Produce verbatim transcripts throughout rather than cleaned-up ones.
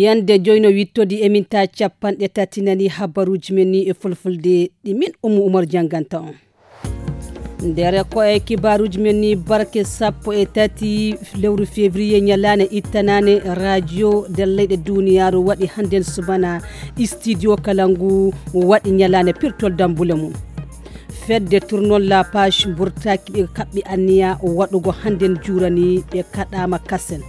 Yande joyno wittodi e minta capanɗe tati nani habaruji men ni e fulfulde ɗi min Ummu Umar janganta on. Nder ko e kibaruji men ni barke sappo e tati lewru février ñalane ittanane radio nder leyɗe duniyaru waɗi hannden subana studio kala ngu waɗi ñalane pirtol dambule mum. Fedde tournol la page mburtaki ɓe kaɓɓi anniya waɗugo hannden jurani ɓe kaɗama kasen.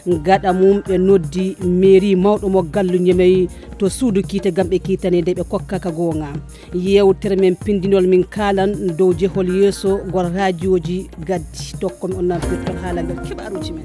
Gaɗa mum ɓe noddi mairie mawɗo mo gallu ñemey to suudu kiite gam ɓe kiitanede ɓe kokkaka goonga. Yewtere men pindinol min kaalan dow jehol yeeso gol raajooji gaddi. Tokko mi on nan pirtol haala ngal kibaaruuji men.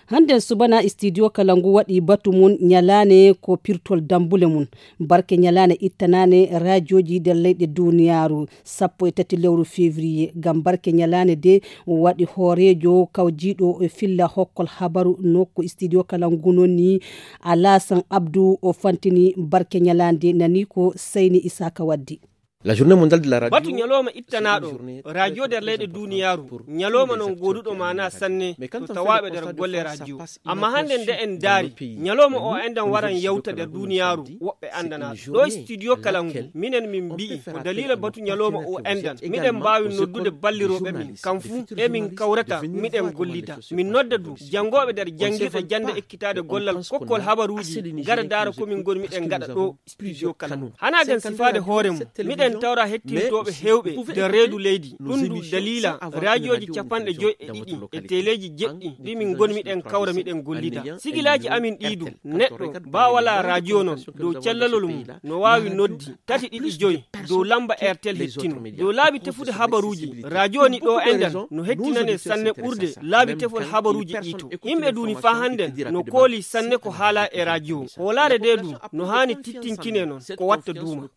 Hannden subana studio kala ngu waɗi batu mum ñalaane ko pirtol dambule mum. Barke ñalaane ittanaane raajooji nder leyɗe duniyaaru sappo e tati lewru février. Ngam barke ñalaane de waɗi hooreejo kawjiiɗo e filla hokkol habaru nokku studio kala ngu noni Alasan Abdu o fantini barke ñalaande nani ko Seyni Isaka waddi. La journée mondiale de la radio. Batu ñalooma ittanaaɗo radio nder leyɗe duniyaaru, ñalooma non gooduɗo maana sanne to tawaaɓe nder golle radio. Amma hannde nde en ndaari, ñalooma o enɗan waran yawta nder duniyaaru woɓɓe anndanaaɗo. Ɗo studio kala ngu, minen min mbi'i ko daliila batu ñalooma o enɗan miɗen mbaawi noddude ballirooɓe min, kam fuu emin kawrata miɗen gollida. Min nodda du janngooɓe nder janngirɗe jannde ekkitaade gollal kokkol habaruuji ngara ndaara ko min ngoni miɗen ngaɗa ɗo studio kala. Hana gan sifaade hoore mum, miɗen tawra hettintooɓe heewɓe nder reedu leydi. Ɗum ndu daliila raajooji capanɗe joy e ɗiɗi e teleeji jeɗɗi ɗi min ngoni miɗen kawra miɗen gollida. Sigilaaji amin ɗii du, neɗɗo baa walaa raajoo non dow callalol mum no waawi noddi tati ɗiɗi joy dow lamba Airtel hettino. Dow laabi tefude habaruuji, raajoo ni ɗo enɗan no hettinane sanne ɓurde laabi tefol habaruuji ɗii to. Yimɓe duuni faa hannden no kooli sanne ko haala e raajoo. Hoolaare de du no haani tittinkine non ko watta duuma.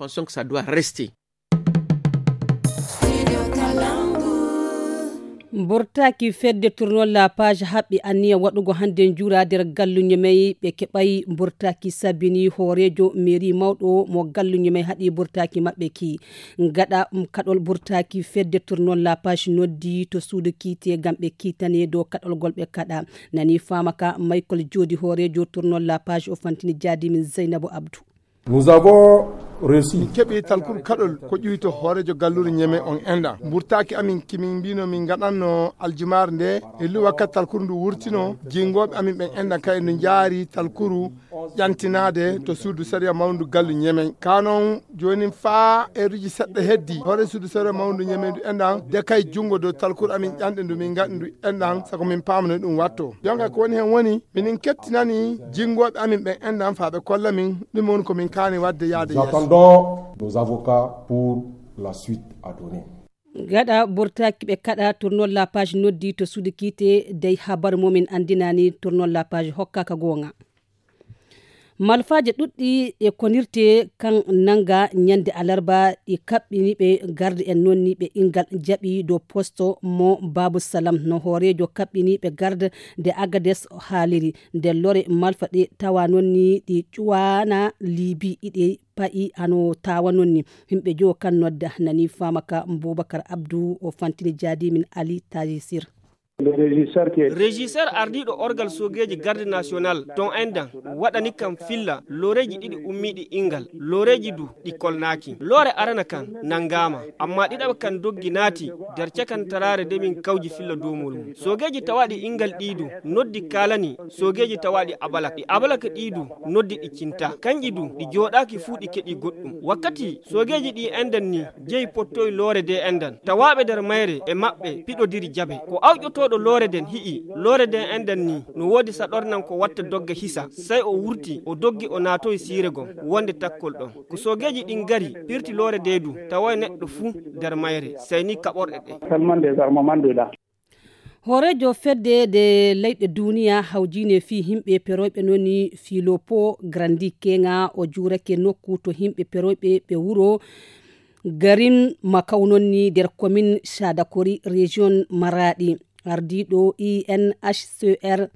Mburtaaki fedde tournol la page haɓɓi anniya waɗugo hannde njuura nder gallu ñemey ɓe keɓay mburtaaki sabini hooreejo mairie mawɗo mo gallu ñemey haɗi mburtaaki maɓɓe ki. Gaɗa kaɗol mburtaaki fedde tournol la page noddi to suudu kiite ngam ɓe kiitane dow kaɗol gol ɓe kaɗa. Nani faama ka Michael Joodi hooreejo tournol la page o fantini jaadi min Zeynabu Abdu. Nous avons reçu. Min keɓi talkuru kaɗol ko ƴuwi to hooreejo gallure ñeme on enɗan mburtaaki amin kimin mbino min ngaɗanno aljumaare nde e lu wakkati talkuru ndu wurtino. Jingooɓe amin ɓen enɗan kay no njaari talkuru ƴantinaade to suudu sariya mawndu gallu ñeme. Ka noon joonin faa eeruji seɗɗa heddi hoore suudu sariya mawndu ñeme ndu enɗan de kay junngo dow talkuru amin ƴanɗe ndu min ngaɗi ndu enɗan sago min paamano ɗum watto. Jonka ko woni heen woni minin kettinani jinngooɓe amin ɓen enɗan faa ɓe kolla min ɗum woni ko min kaani waɗde yaade yeeso. Nous attendons nos avocats pour la suite à donner. Gaɗa burtaaki ɓe kaɗa tournol la page noddi to suudu kiite dey habar momin anndinani tournol la page hokkaka goonga. Malfaaje ɗuɗɗi e konirte kan nanga ñande alarba ɗi kaɓɓini ɓe garde en nonni ɓe ingal jaɓi dow posto mo Babu Salam no hooreejo kaɓɓini ɓe garde de Agades haaliri. Nde lore malfa ɗe tawa nonni ɗi ƴuwana libi iɗe pa'i ano tawa nonni. Himɓe jo kan nodda nani faama ka Bubakar Abdu o fantini jaadi min Ali Tajisir. Régisseur ardiiɗo orgal sogeeji garde national ton endan waɗani kam filla loreeji ɗiɗi ummiiɗi ingal loreeji du ɗi kolnaaki. Loore arana kan nangaama amma ɗiɗaɓa kan doggi naati nder cakantaraare nde min kawji filla doomol mum. Sogeeji tawaaɗi ingal ɗii du noddi kaalani sogeeji tawaaɗi abalak ɗi abalak ɗii du noddi ɗi cinta kanƴi du ɗi jooɗaaki fuu ɗi keɗi goɗɗum. Wakkati sogeeji ɗi endan ni jeyi pottoy loore de endan tawaaɓe nder mayre e maɓɓe piɗodiri jabe. Ko awƴotooɗo loore den hi'i loore de endan ni no woodi saɗornan ko watta dogga hisa sey o wurti o doggi o naatoy siire gom wonde takkol ɗon. Ko sogeeji ɗin ngari pirti loore de du tawoy neɗɗo fuu nder mayre sey ni kaɓorɗe ɗe. Hooreejo fedde de leyɗe duniya hawjine fii himɓe peroyɓe noni filopo grandi kenga o juurake nokku to himɓe peroyɓe ɓe wuro garin makaw nonni nder komin shadakori region maraɗi. Ardiɗo inhcr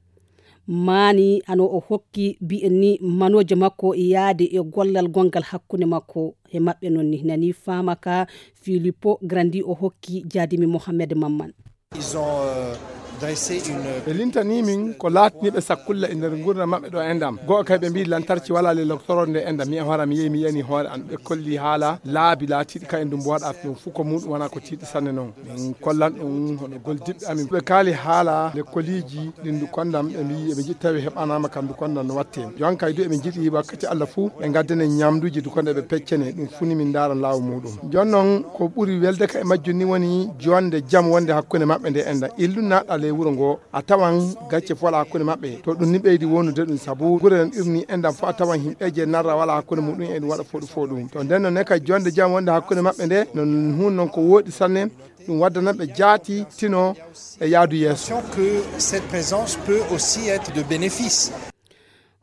mani ano o hokki bi'en ni manoje makko yaade e gollal gongal hakkunde makko e maɓɓe nonni nani faama ka filipo grandi o hokki jaadimi mohammed mamman. Ils ont euh, Ɓe lintanii min ko laatanii ɓe sakkulla e nder nguurndam maɓɓe ɗo e ndam. Go'o kay ɓe mbii lantarki walaa ley loktoroode nde e ndam. Mi e hoore am mi yehi mi yani hoore am ɓe kolli haala laabi laatiiɗi kay e ndu mboɗa ɗum fuu ko muɗum wonaa ko tiiɗi sanne noon. Min kollan ɗum hono goldiɓɓe amin. Ɓe kaali haala lekkoliiji ɗi ndu konndam ɓe mbii eɓe njiɗi tawi heɓanaama kam ndu konndam no watte. Jooni kay du eɓe njiɗi wakkati Allah fuu ɓe ngaddane ñamduuji du konde ɓe peccane ɗum fuu ni min ndaaran laawo muɗum. Jooni noon ko ɓuri welde ka e majjum ni woni jonde jam wonde hakkunde maɓɓe nde e ndam. Illu naɗa ley wuro ngo a tawan gacce fof wala hakkunde maɓɓe. To ɗum ni ɓeydi wonude ɗum sabu gure en irni e ndam fof a tawan himɓeeje narra wala hakkunde muɗum e ɗum waɗa foɗu foɗu. To nden noon ne kay jonde jam wonde hakkunde maɓɓe nde no hun noon ko woɗi sanne. Ɗum waddana ɓe jaati tino e yaadu yeeso. Que cette présence peut aussi être de bénéfice.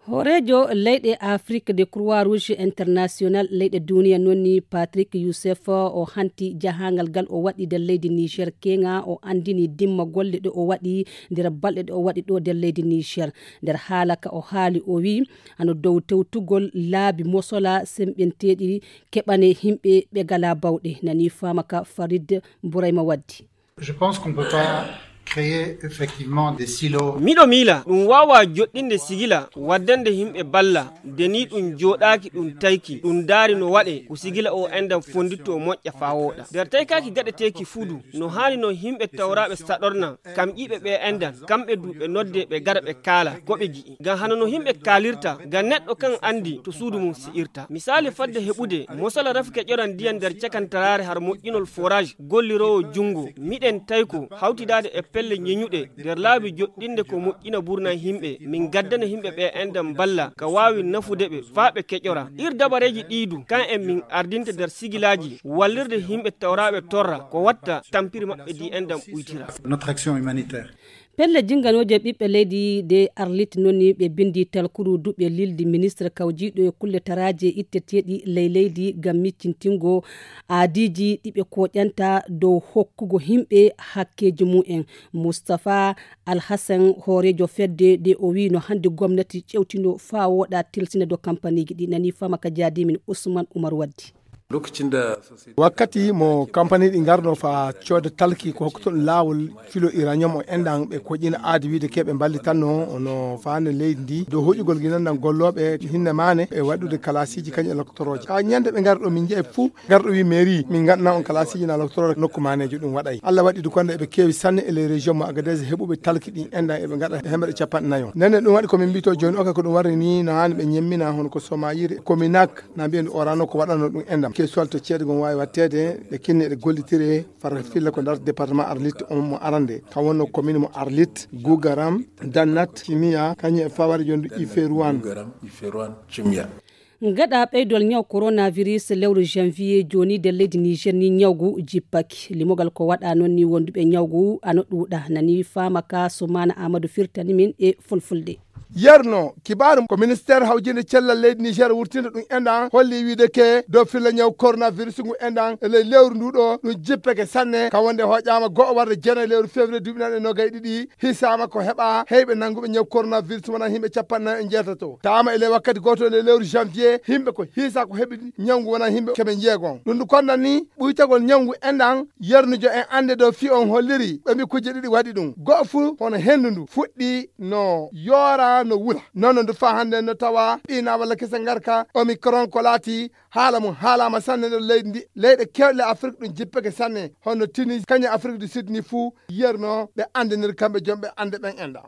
Hooreejo leyɗe Afrik de Croix Rouge International leyɗe duniya noon ni Patrick Youssef o hanti jahangal ngal o waɗi nder leydi Niger keŋa o anndini dimma golle ɗe o waɗi nder balɗe ɗe o waɗi ɗo nder leydi Niger. Nder haala ka o haali o wi ano dow tewtugol laabi mosola semɓenteeɗi keɓane himɓe ɓe gala bawɗe nani fama ka Farid Bourayma Waddi. Je pense qu'on peut pas créer effectivement des silos. Miɗo miila ɗum waawaa joɗɗinde sigila waddande yimɓe balla de ni ɗum jooɗaaki ɗum tayki ɗum ndaari no waɗee ko sigila o enɗam fonnditto moƴƴa faa wooɗa nder taykaaki gaɗeteeki fuu du no haani noon yimɓe tawraaɓe saɗorna kam ƴiiɓe ɓe enɗam kamɓe du ɓe noddee ɓe gara ɓe kaala ko ɓe ji'i ngam hano no yimɓe kaalirta ngam neɗɗo kan anndi to suudu mum si'irta misaali fadde heɓude mosala rafi keƴoran ndiyam nder cakantaraare har moƴƴinol forage golliroowo junngo miɗen tayko hawtidaade e pelle ñeñuɗe nder laabi joɗɗinde ko moƴƴina burna yimɓe min gaddana yimɓe ɓe enɗam balla ka waawi nafude ɓe faa ɓe keƴora ir dabareeji ɗii du kan en min ardinta nder sigilaaji wallirde yimɓe tawraaɓe torra ko watta tampiri maɓɓe di enɗam ɓuytira. Notre action humanitaire. Pelle jinganooje ɓiɓɓe leydi de Arlit noni ɓe bindi talkuru duɓe lildi ministre kawjiiɗo e kulle taraaje itteteeɗi ley leydi ngam miccintingo aadiiji ɗi ɓe kooƴanta dow hokkugo yimɓe hakkeeji mum en. Mustapha Alhassan hooreejo fedde de o wii no hannde gomnati ƴewtino faa wooɗa tilsina dow kampaniiji ɗi nani fama ka jaadimin Ousmane Oumar Waddi. Wakkati mo kampani ɗi ngarno fa cooda talki ko hokkutoɗo laawol filo uranium o enɗan ɓe koƴina aadi wiide keɓe mballitanno no faande leydi ndi dow hoƴugol ginandan gollooɓe hinne maane e waɗude kalasiiji kañum e loktorooje ka ñande ɓe ngarɗo min jeeyi fuu ngarɗo wi mairie min ngaɗana on kalasiiji na loktorooje nokku maanejo ɗum waɗay allah waɗi du konde eɓe keewi sanne e les région mo agadez heɓuɓe talki ɗin enɗan eɓe ngaɗa hemɓeɗe capanɗe nayo nene ɗum waɗi komin mbito joni oka ko ɗum warri ni no hani ɓe ñemmina hono ko somayiri kominak na mbiyen orano ko waɗano ɗum enɗam ke solto ceede gom wawi wattede ɓe kinni eɗe gollitire far filla ko nder département arlit on mo arande ka wonno commune mo arlit gugaram dannat cimiya kañum e fawari jondu iferuan. Gaɗa ɓeydol ñaw coronavirus lewru janvier joni nder leydi niger ni ñawgu jippaki limogal ko waɗa noon ni wonduɓe ñawgu ano ɗuuɗa nani fama ka sumana amadou firtani min e fulfulde. Yerno kibaaru ko ministeer hawjinde cellal leydi niger wurtinde ɗum enɗan holli wiide ke dow filla ñaw coronavirus ngu enɗan e ley lewru ndu ɗo ɗum jippeke sanne ka wonde hoƴama go'o warde jeenayi lewru février duuɓi nan e nogay ɗiɗi hisama ko heɓa heyɓe nannguɓe ñaw coronavirus wona yimɓe capanɗe nayo e jeetato tawama e ley wakkati goto e ley lewru janvier yimɓe ko hiisa ko heɓi ñaw ngu wona yimɓe keɓe jeegon ɗum ndu konnan ni ɓuytagol ñaw ngu enɗan yernujo en annde dow fii on holliri ɓe mbi kujje ɗiɗi waɗi ɗum go'o fuu hono henndu ndu fuɗɗi no yoora no wula noon no ndu faa hannde no tawa ɓiina walla kese ngarka omicron ko laati haala mum haalaama sanne nder leydi ndi leyɗe kewɗe afrik ɗum jippeke sanne hono tuni kañum afrik du sud ni fuu yerno ɓe anndinir kamɓe joom ɓe annde ɓen enɗan.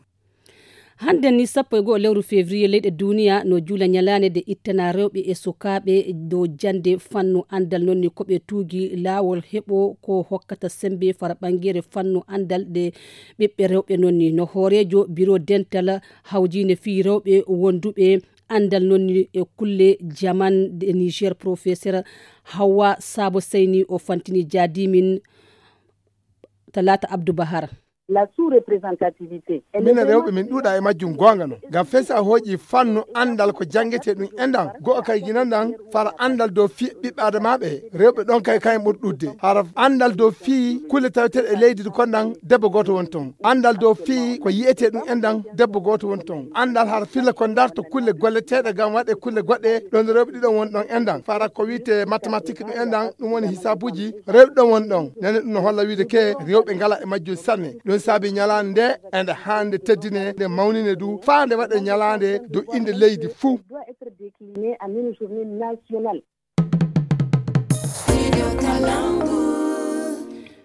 Hannde ni sappo e go'o lewru février leyɗe duniya no juula ñalaande nde ittana rewɓe e sukaaɓe dow jannde fannu anndal noon ni ko ɓe tuugi laawol heɓo ko hokkata semmbe fara ɓanngeere fannu anndal ɗe ɓiɓɓe rewɓe noon ni no hooreejo biro dental hawjiinde fii rewɓe wonduɓe anndal noon ni e kulle jaman ɗe niger professeur hawwa saabo seyni o fantini jaadimin talaata abdou bahar. La sous-représentativité. Minen rewɓe min ɗuuɗa e majjum goonga no ngam fesa hooƴi fannu anndal ko janngete ɗum enɗan go'o kay ginan ɗan fara anndal dow fii ɓiɓɓe adamaaɓe rewɓe ɗon kay kayen ɓuri ɗuɗde hara anndal dow fii kulle taweteeɗe e leydi kon ɗan debbo gooto woni ton anndal dow fii ko yi'etee ɗum enɗan debbo gooto woni ton anndal hara filla ko ndarto kulle golleteeɗe ngam waɗe kulle goɗɗe ɗon rewɓe ɗiɗon woni ɗon enɗan fara ko wi'etee mathématique ɗum enɗan ɗum woni hisaabuuji rewɓe ɗon woni ɗon nene ɗum no holla wiide ke rewɓe ngala e majjum sanne ɗum Sabi ñalaande nde ende hannde teddine, nde mawnine du, faa nde waɗe ñalaande dow innde leydi fuu.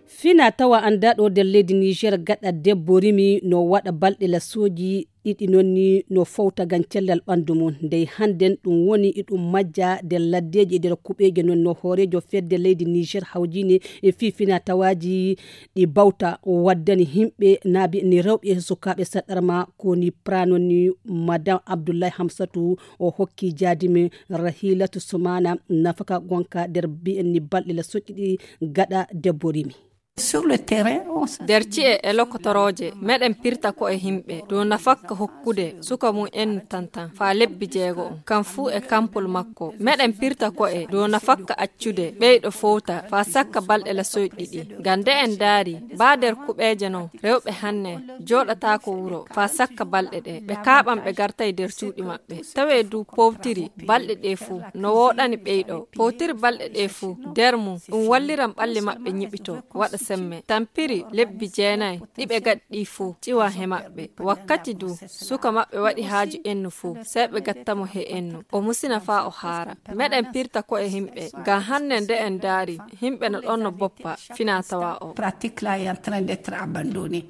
Fina tawa anndaɗo nder leydi Niger gaɗa debbo rimi no waɗa balɗe lasooji ɗiɗi, noon ni no fowta ngam cellal ɓanndu mum. Ndey hannden ɗum woni iɗum majja nder laddeeji e nder kuɓeeje, noon no hooreejo fedde leydi Niger hawjiine e fii fina tawaaji ɗi bawta waddani himɓe naabi ni rewɓe e sukaaɓe saɗɗarma ko ni prano ni Madame Abdoulaye Hamsatou o hokki jaadimi Rahilatu Soumana nafaka gonka nder bi'en ni balɗe la soƴƴi ɗi gaɗa debbo rimi. Sur le terrain, on se- Nder ci'e e lokotorooje, meɗen pirta ko'e himɓe dow nafakka hokkude suka mum en tantan faa lebbi jeego on, kam fuu e kampol makko. Meɗen pirta ko'e dow nafakka accude ɓeyɗo fowta faa sakka balɗe la soyɗi ɗi. Ngam nde en ndaari, baa nder kuɓeeje non, rewɓe hanne jooɗataako wuro faa sakka balɗe ɗe. Ɓe kaaɓan ɓe gartay nder cuuɗi maɓɓe. Tawee du powtiri balɗe ɗe fuu, no wooɗani ɓeyɗo. Powtiri balɗe ɗe fuu, nder mum, ɗum walliran ɓalli maɓɓe ñiɓito, waɗa semme. Tampiri lebbi jeenay, ɗi ɓe gaɗi ɗi fuu, ƴiwa he maɓɓe. Wakkati du, suka maɓɓe waɗi haaju ennu fuu, sey ɓe gatta mo he ennu. O musina faa o haara. Meɗen pirta ko'e himɓe, ngam hanne nde en ndaari, himɓe no ɗon no boppa, fina tawa o. Pratique là est en train d'être abandonnée.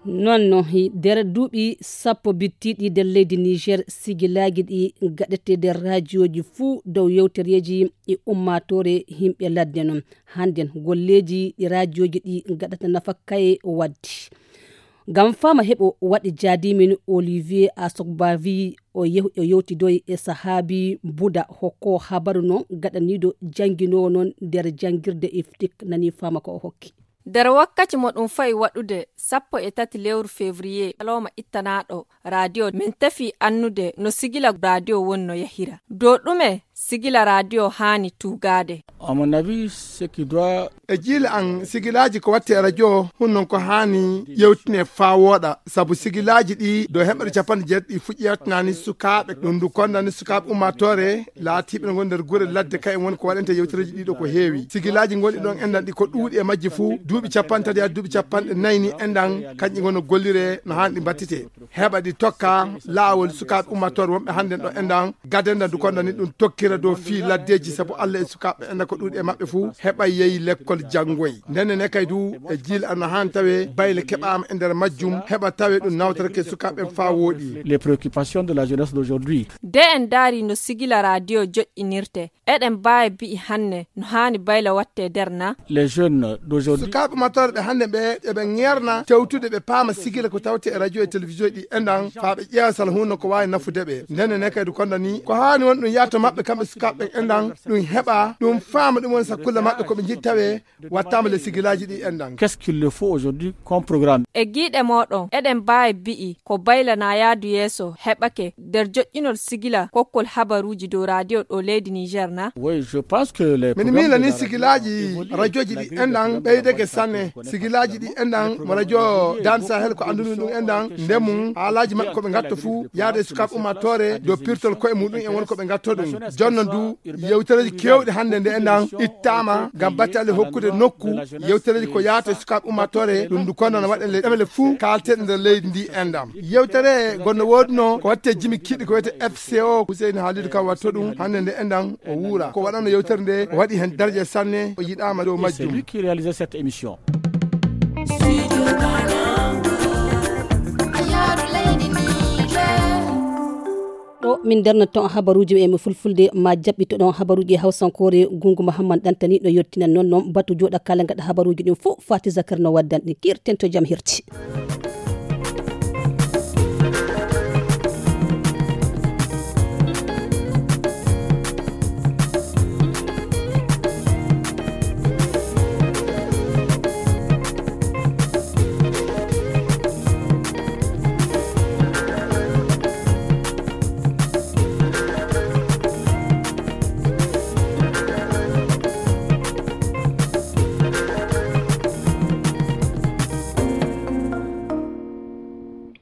Noon no, hi-, nder duuɓi sappo bittiiɗi nder leydi Niger, sigilaaji ɗi gaɗete nder raajiyooji fuu dow yewtereeji e ummaatoore yimɓe ladde noon. Hannden golleeji ɗi raajiyooji ɗi gaɗata nafa kaye waddi. Ngam faama heɓo waɗi jaadimin Olivier Asogbavi o yew-, o yewtidoyi e sahaabi Buda hokko habaru noon gaɗaniiɗo jannginoowo noon nder janngirde iftik nani faama ko o hokki. Nder wakkati mo ɗum fayi waɗude sappo e tati lewru février, alawma ittanaaɗo radio, min tefi annude no sigila radio woni no yahira. Dow ɗume sigila radio haani tuugaade? À mon avis, ce qui doit E jiila an, sigilaaji ko watte e radio, hun non ko haani yewtine faa wooɗa. Sabu sigilaaji ɗi, dow heɓɓere capanɗe jeetati ɗi fuɗɗi yewtinaani sukaaɓe, ɗum ndu kondani sukaaɓe ummaatoore, laatiiɓe no ngon nder gure ladde, kayen woni ko waɗante yewtereeji ɗiɗo ko heewi. Sigilaaji ngonɗi ɗon enɗan ɗi ko ɗuuɗi e majji fuu, duuɓi capanɗe tati haa duuɓi capanɗe nayi ni enɗan, kanƴi ngon no gollire no haani ɗi mbattite. Heɓa ɗi tokka laawol sukaaɓe ummaatoore wonɓe hannden ɗo enɗan, gadenda ndu kondani ɗum tokkira dow fii laddeeji, sabu Alla e sukaaɓe enɗan ko ɗuuɗi e maɓɓe fuu heɓa yehi lekkol janngoy. Ndenne ne kay du e jiila ana haani tawe bayle keɓaama e nder majjum, heɓa tawe ɗum nawtorake sukaaɓe en faa wooɗi. Les préoccupations de la jeunesse d'aujourd'hui. De en ndaari no sigila radio joƴƴinirte, eɗen mbaawi bi'i hanne no haani bayla watte nder na? Les jeunes d'aujourd'hui. Sukaaɓe ummaatoore ɓe hannde ɓe, eɓe ŋeerna tewtude ɓe paama sigila ko tawte e radio e télévision ɗi enɗan, faa ɓe ƴeewa sala huunde ko waawi nafude ɓe. Ndenne ne kadi kondani, ko haani won ɗum yaato maɓɓe kamɓe sukaaɓe ɓen enɗan, ɗum heɓa, ɗum faama ɗum woni sakkulle maɓɓe ko ɓe njiɗi tawe, wattaama le sigilaaji ɗi enɗan. Qu'est-ce qu'il le faut aujourd'hui comme programme? E giiɗe mooɗon, eɗen mbaawi bi'i ko bayla na yaadu yeeso heɓake nder joƴƴinol sigila kokkol habaruuji dow radio ɗo leydi Niger na? Oui, je pense que les Min programmes miila de ni la sigilaaji radio radioji ɗi enɗan ɓeydake sanne. Sigilaaji ɗi enɗan mo radio Dan Sahel ko anndumi ɗum enɗan ndemum haalaaji maɓɓe ko ɓe ngatto fuu yaade sukaaɓe ummaatoore dow pirtol koye muɗum en woni ko ɓe ngatto ɗum. Jonno du yewtereeji keewɗi hannde nde enɗan ittaama ngam battale hokkude nokku yewtereeji ko yaata e sukaaɓe ummaatoore, ɗum ndu kono no waɗen le ɗemele fuu kaalteɗe nder leydi ndi enɗan. Yewtere gonno woodunoo ko watte jimi kiɗi ko wiyete F C O, Huseyni Halidu kam watto ɗum hannde nde enɗan o wuura. Ko waɗano yewtere nde o waɗi heen daraja sanne, o yiɗaama dow majjum. C'est lui qui réalisait cette émission. Ɗo min darnata ton habaruuji e mo fulfulde ma jaɓɓito ɗon habaruuji e hawsankoore. Gungu Mahamman Ɗantani no yottinan noon noon batu jooɗa kala ngaɗa habaruuji ɗin fof Fati Zakar no waddan ɗin. Kirten to jam hirti.